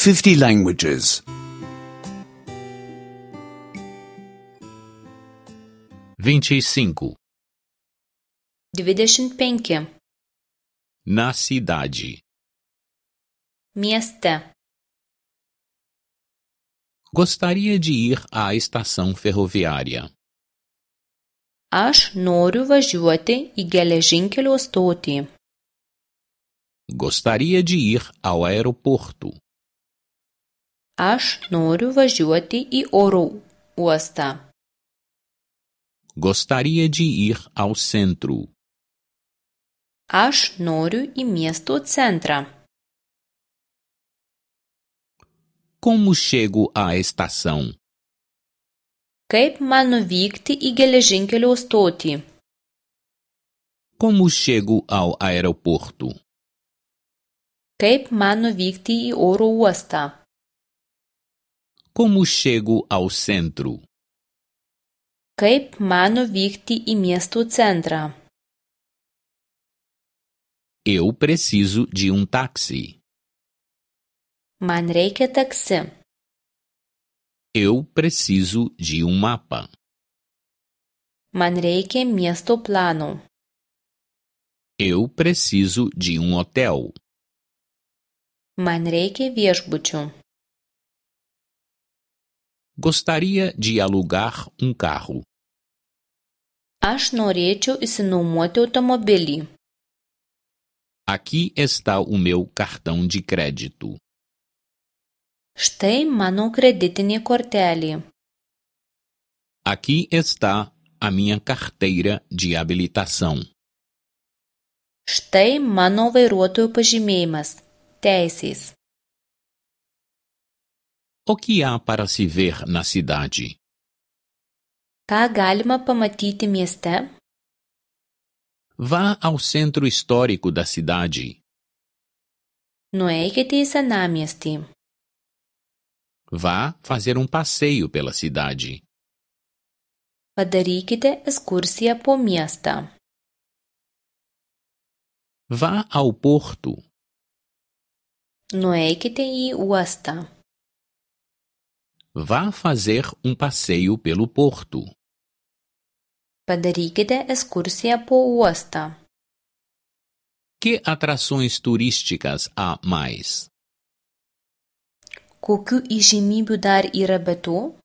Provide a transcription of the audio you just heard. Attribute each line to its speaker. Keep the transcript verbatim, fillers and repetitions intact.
Speaker 1: fifty languages.
Speaker 2: vinte e cinco.
Speaker 3: dvidešimt penki.
Speaker 2: Na cidade.
Speaker 3: Mieste.
Speaker 2: Gostaria de ir à estação ferroviária.
Speaker 3: Aš noriu važiuoti į geležinkelio stotį.
Speaker 2: Gostaria de ir ao aeroporto.
Speaker 3: Aš noriu važiuoti į oro uostą.
Speaker 2: Gostaria de ir ao centro.
Speaker 3: Aš noriu į miesto centrą.
Speaker 2: Como chego à estação?
Speaker 3: Kaip man nuvykti į geležinkelio stotį?
Speaker 2: Como chego ao aeroporto?
Speaker 3: Kaip man nuvykti į oro uostą?
Speaker 2: Como chego ao centro?
Speaker 3: Kaip man nuvykti į miesto centrą?
Speaker 2: Eu preciso de um táxi.
Speaker 3: Man reikia taksi.
Speaker 2: Eu preciso de um mapa.
Speaker 3: Man reikia miesto plano.
Speaker 2: Eu preciso de um hotel.
Speaker 3: Man reikia viešbučių.
Speaker 2: Gostaria de alugar um carro.
Speaker 3: Aš norėčiau išsinuomoti automobilį.
Speaker 2: Aqui está o meu cartão de crédito.
Speaker 3: Štai mano kreditinė kortelė.
Speaker 2: Aqui está a minha carteira de habilitação.
Speaker 3: Štai mano vairuotojo pažymėjimas. Teisės.
Speaker 2: O que há para se ver na cidade?
Speaker 3: Ką galima pamatyti mieste?
Speaker 2: Vá ao centro histórico da cidade.
Speaker 3: Nueikite į senamiestį.
Speaker 2: Vá fazer um passeio pela cidade.
Speaker 3: Padarykite ekskursiją po miestą.
Speaker 2: Vá ao porto.
Speaker 3: Nueikite į uostą.
Speaker 2: Vá fazer um passeio pelo porto.
Speaker 3: Padarykite ekskursiją po uostą.
Speaker 2: Que atrações turísticas há mais?
Speaker 3: Kokių įžymybių dar yra be to?